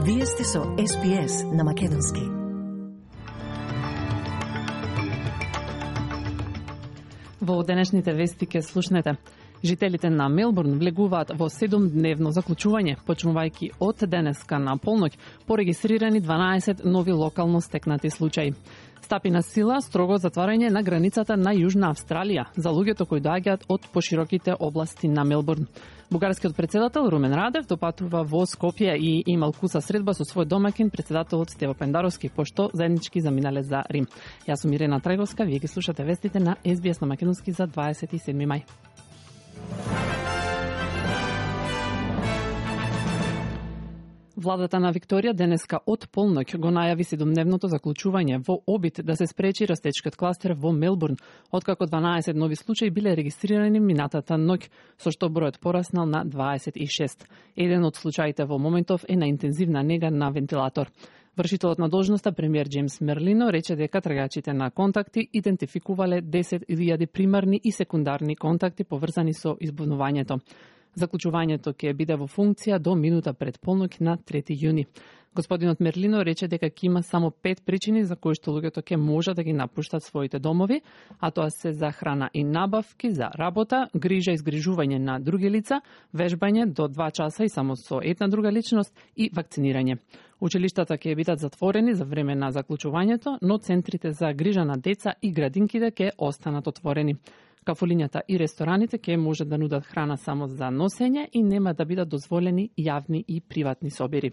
Вие сте со SPS на Македонски. Во денешните вести ке слушнете. Жителите на Мелбурн влегуваат во 7-дневно заклучување, почнувајќи од денеска на полноќ, порегистрирани 12 нови локално стекнати случаи. Стапи на сила строго затварање на границата на Јужна Австралија за луѓето кои доаѓаат од пошироките области на Мелбурн. Бугарскиот председател Румен Радев допатува во Скопје и имал куса средба со свој домакин председателот Стево Пендаровски, пошто заеднички заминале за Рим. Јас сум Ирена Траговска, вие ги слушате вестите на SBS на Македонски за 27 мај. Владата на Викторија денеска од полноќ го најави 7-дневното заклучување во обид да се спречи растечкиот кластер во Мелбурн, откако 12 нови случаи биле регистрирани минатата ноќ, со што бројот пораснал на 26. Еден од случаите во моментов е на интензивна нега на вентилатор. Вршителот на должноста, премиер Джеймс Мерлино, рече дека трагачите на контакти идентификувале 10.000 примарни и секундарни контакти поврзани со избунувањето. Заклучувањето ќе биде во функција до минута пред полноќ на 3 јуни. Господинот Мерлино рече дека ќе има само 5 причини за кои што луѓето ќе може да ги напуштат своите домови, а тоа се за храна и набавки, за работа, грижа и згрижување на други лица, вежбање до 2 часа и само со една друга личност и вакцинирање. Училиштата ќе бидат затворени за време на заклучувањето, но центрите за грижа на деца и градинките ќе останат отворени. Кафулињата и рестораните ќе може да нудат храна само за носење и нема да бидат дозволени јавни и приватни собири.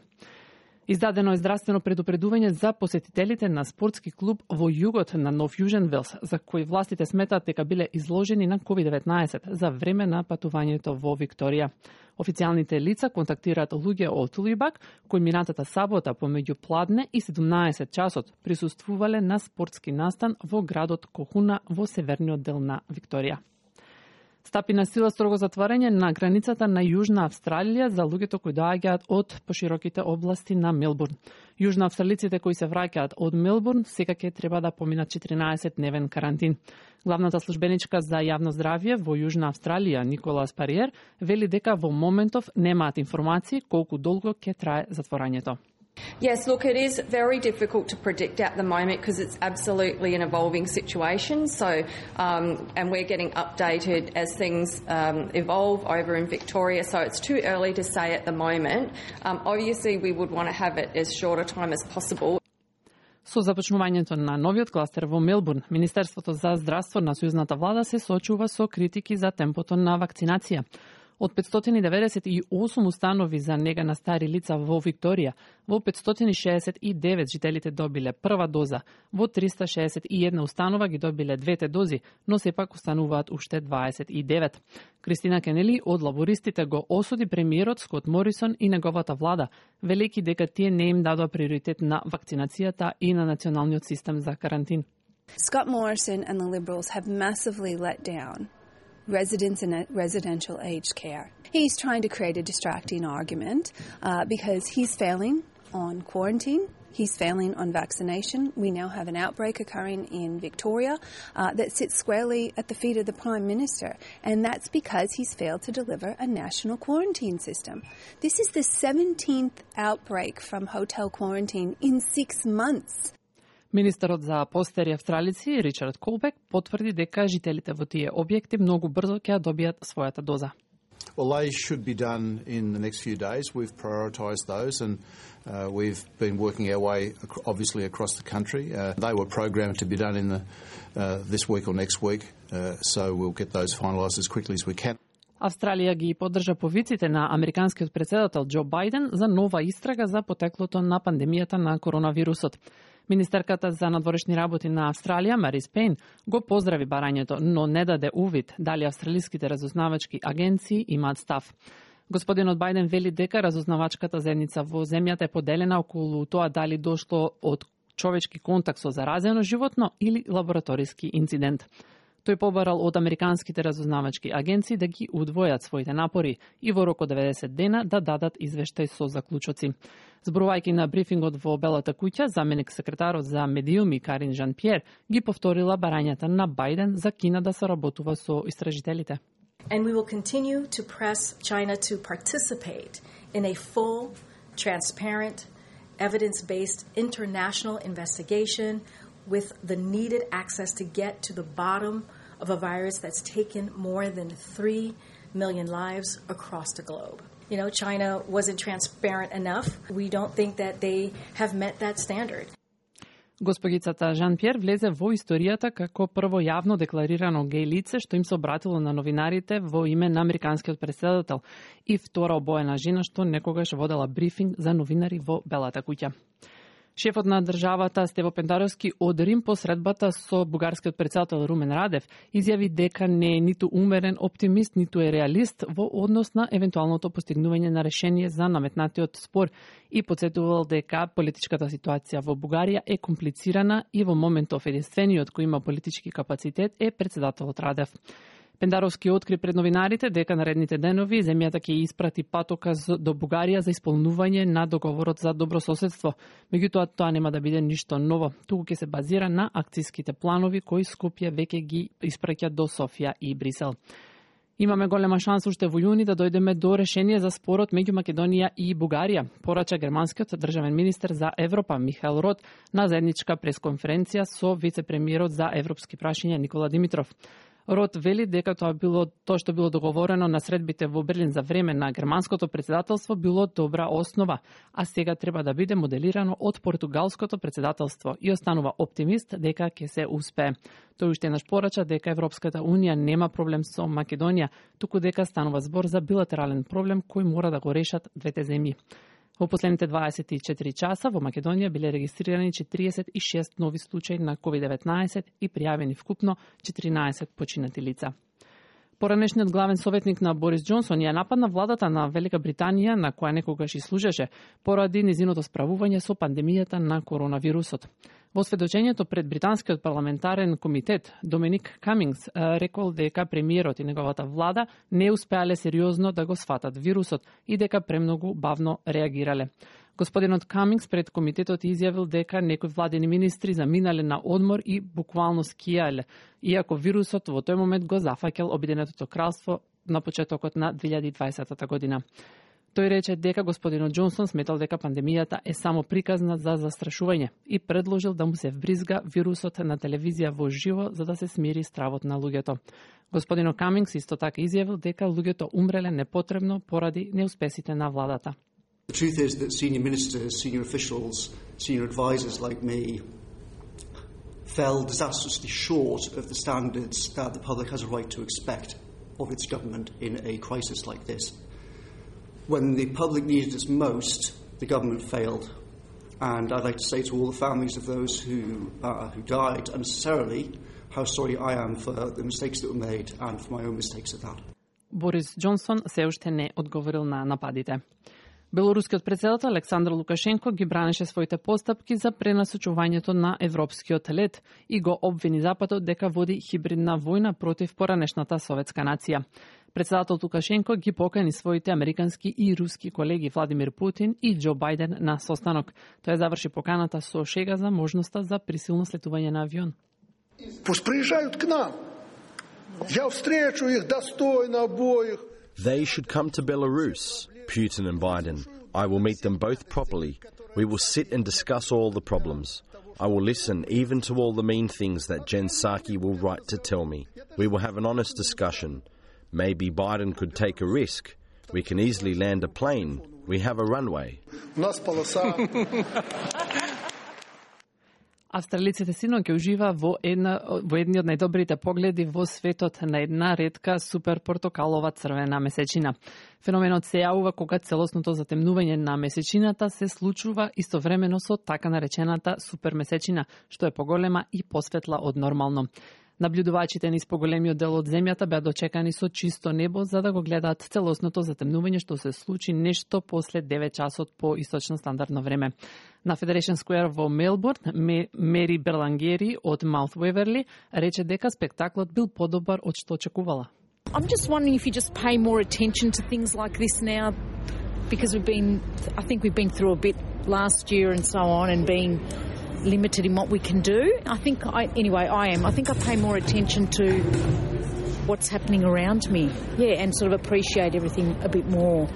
Издадено е здравствено предупредување за посетителите на спортски клуб во југот на Нов Јужен Велс, за кои властите сметаат дека биле изложени на COVID-19 за време на патувањето во Викторија. Официјалните лица контактираат луѓе од Улибак, кои минатата сабота помеѓу пладне и 17 часот присуствувале на спортски настан во градот Кохуна во северниот дел на Викторија. Стапи на сила строго затварање на границата на Јужна Австралија за луѓето кои доаѓаат од пошироките области на Мелбурн. Јужна австралиците кои се враќаат од Мелбурн сега ќе треба да поминат 14-дневен карантин. Главната службеничка за јавно здравје во Јужна Австралија, Николас Париер, вели дека во моментов немаат информации колку долго ќе трае затворањето. Yes, look, it is very difficult to predict at the moment because it's absolutely an evolving situation. So, and we're getting updated as things evolve over in Victoria. So it's too early to say at the moment. Obviously, we would want to have it as short a time as possible. Со започнувањето на новиот кластер во Мелбурн, Министерството за здравство на сојузната влада се соочува со критики за темпото на вакцинација. Од 598 установи за нега на стари лица во Викторија, во 569 жителите добиле прва доза, во 361 установа ги добиле двете дози, но сепак остануваат уште 29. Кристина Кенели од лабористите го осуди премиерот Скот Морисон и неговата влада, велејќи дека тие не им дадоа приоритет на вакцинацијата и на националниот систем за карантин. Scott Morrison and the Liberals have massively let down residents in residential aged care. He's trying to create a distracting argument because he's failing on quarantine, he's failing on vaccination. We now have an outbreak occurring in Victoria that sits squarely at the feet of the Prime Minister, and that's because he's failed to deliver a national quarantine system. This is the 17th outbreak from hotel quarantine in 6 months. Министерот за постари австралици Ричард Колбек потврди дека жителите во тие објекти многу брзо ќе добијат својата доза. Well, they should be done in the next few days. We've prioritised those and we've been working our way, obviously, across the country. They were programmed to be done in this week or next week, so we'll get those finalised as quickly as we can. Австралија ги поддржа повиците на американскиот председател Џо Бајден за нова истрага за потеклото на пандемијата на коронавирусот. Министерката за надворешни работи на Австралија, Марис Пейн, го поздрави барањето, но не даде увид дали австралиските разузнавачки агенции имаат став. Господинот Бајден вели дека разузнавачката заедница во земјата е поделена околу тоа дали дошло од човечки контакт со заразено животно или лабораториски инцидент. Тој побарал од американските разузнавачки агенции да ги удвојат своите напори и во рок од 90 дена да дадат извештај со заклучоци. Зборувајќи на брифингот во Белата куќа, заменик секретарот за медиуми Карин Жан-Пиер ги повторила барањата на Бајден за Кина да соработува со истражителите. And we will continue to press China to participate in a full, transparent evidence-based international investigation with the needed access to get to the bottom of a virus that's taken more than 3 million lives across the globe. You know, China wasn't transparent enough. We don't think that they have met that standard. Госпогицата Жан-Пьер влезе во историјата како прво јавно декларирано геј лице што им се обратило на новинарите во име на американскиот претседател и втора обоена жена што некогаш водела брифинг за новинари во Белата куќа. Шефот на државата Стево Пендаровски од Рим по средбата со бугарскиот претседател Румен Радев изјави дека не е ниту умерен оптимист, ниту е реалист во однос на евентуалното постигнување на решение за наметнатиот спор и потсетувал дека политичката ситуација во Бугарија е комплицирана и во моментов единствениот кој има политички капацитет е претседателот Радев. Пендаровски откри пред новинарите дека наредните денови земјата ќе испрати патоказ до Бугарија за исполнување на договорот за добрососедство. Меѓутоа, тоа нема да биде ништо ново, туку ќе се базира на акцијските планови кои Скопје веќе ги испраќа до Софија и Брисел. Имаме голема шанса уште во јуни да дојдеме до решение за спорот меѓу Македонија и Бугарија, порача германскиот државен министер за Европа Михаел Рот на заедничка пресконференција со вице-премиерот за европски прашања Никола Димитров. Рот вели дека тоа што било договорено на средбите во Берлин за време на германското претседателство било добра основа, а сега треба да биде моделирано од португалското претседателство и останува оптимист дека ќе се успее. Тој уште еднаш порача дека Европската унија нема проблем со Македонија, туку дека станува збор за билатерален проблем кој мора да го решат двете земји. Во последните 24 часа во Македонија биле регистрирани 46 нови случаи на COVID-19 и пријавени вкупно 14 починати лица. Поранешниот главен советник на Борис Џонсон ја нападна владата на Велика Британија, на која некогаш и служеше, поради низиното справување со пандемијата на коронавирусот. Во сведочењето пред британскиот парламентарен комитет, Доминик Камингс рекол дека премиерот и неговата влада не успеале сериозно да го сфатат вирусот и дека премногу бавно реагирале. Господинот Камингс пред комитетот изјавил дека некои владени министри заминале на одмор и буквално скијале, иако вирусот во тој момент го зафаќал Обединетото кралство на почетокот на 2020 година. Тој рече дека господинот Џонсон сметал дека пандемијата е само приказна за застрашување и предложил да му се вбризга вирусот на телевизија во живо за да се смири стравот на луѓето. Господинот Камингс исто така изјавил дека луѓето умреле непотребно поради неуспесите на владата. The truth is that senior ministers, senior officials, senior advisors like me fell disastrously short of the standards that the public has a right to expect of its government in a crisis like this. When the public needed us most, the government failed. And I'd like to say to all the families of those who died unnecessarily how sorry I am for the mistakes that were made and for my own mistakes at that. Борис Џонсон се уште не одговорил на нападите. Белорускиот претседател Александар Лукашенко ги бранеше своите постапки за пренасочувањето на европскиот лед и го обвини Западот дека води хибридна војна против поранешната советска нација. Претседател Лукашенко ги покани своите американски и руски колеги Владимир Путин и Џо Бајден на состанок. Тој заврши поканата со шега за можноста за присилно слетување на авион. Пусть приезжают к нам. Я встречу их достойно обоих. They should come to Belarus, Putin and Biden. I will meet them both properly. We will sit and discuss all the problems. I will listen even to all the mean things that Jen Psaki will write to tell me. We will have an honest discussion. Maybe Biden could take a risk. We can easily land a plane. We have a runway. Австралиците сино ќе ужива во едни од најдобрите погледи во светот на една ретка супер портокалова црвена месечина. Феноменот се јавува кога целосното затемнување на месечината се случува истовремено со така наречената супер месечина, што е поголема и посветла од нормално. Наблюдувачите низ поголемиот дел од земјата беа дочекани со чисто небо за да го гледаат целосното затемнување што се случи нешто после 9 часот по источно стандардно време. На Federation Square во Мелбурн, Мери Берлангери од Маут Уеверли рече дека спектаклот бил подобар од што очекувала. I'm just wondering if you just pay more attention to things like this now because I think we've been through a bit last year and so on and being limited in what we can do. I think I pay more attention to what's happening around me. Yeah, and sort of appreciate everything a bit more.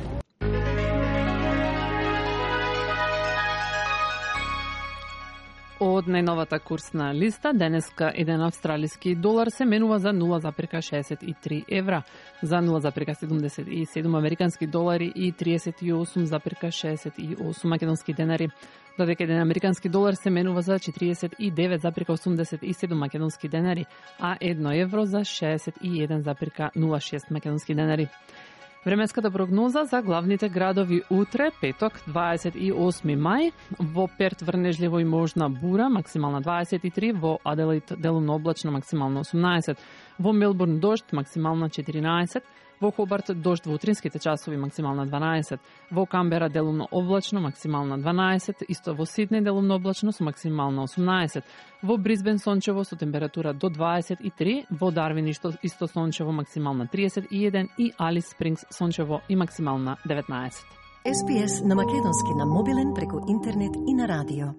Од најновата курсна листа, денеска еден австралиски долар се менува за 0,63 евра, за 0,77 американски долари и 38,68 македонски денари, додека еден американски долар се менува за 49,87 македонски денари, а 1 евро за 61,06 македонски денари. Временската прогноза за главните градови утре, петок, 28 мај, во Перт врнежливо и можна бура, максимална 23, во Аделаид делумно облачно, максимално 18, во Мелбурн дожд, максимална 14, во Хобарт дожд во утринските часови, максимална 12, во Камбера делумно облачно, максимална 12, исто во Сиднеј делумно облачно со максимална 18, во Брисбен сончево со температура до 23, во Дарвин исто сончево, максимална 31 и Алис Спрингс сончево и максимална 19. SPS на македонски на мобилен преку интернет и на радио.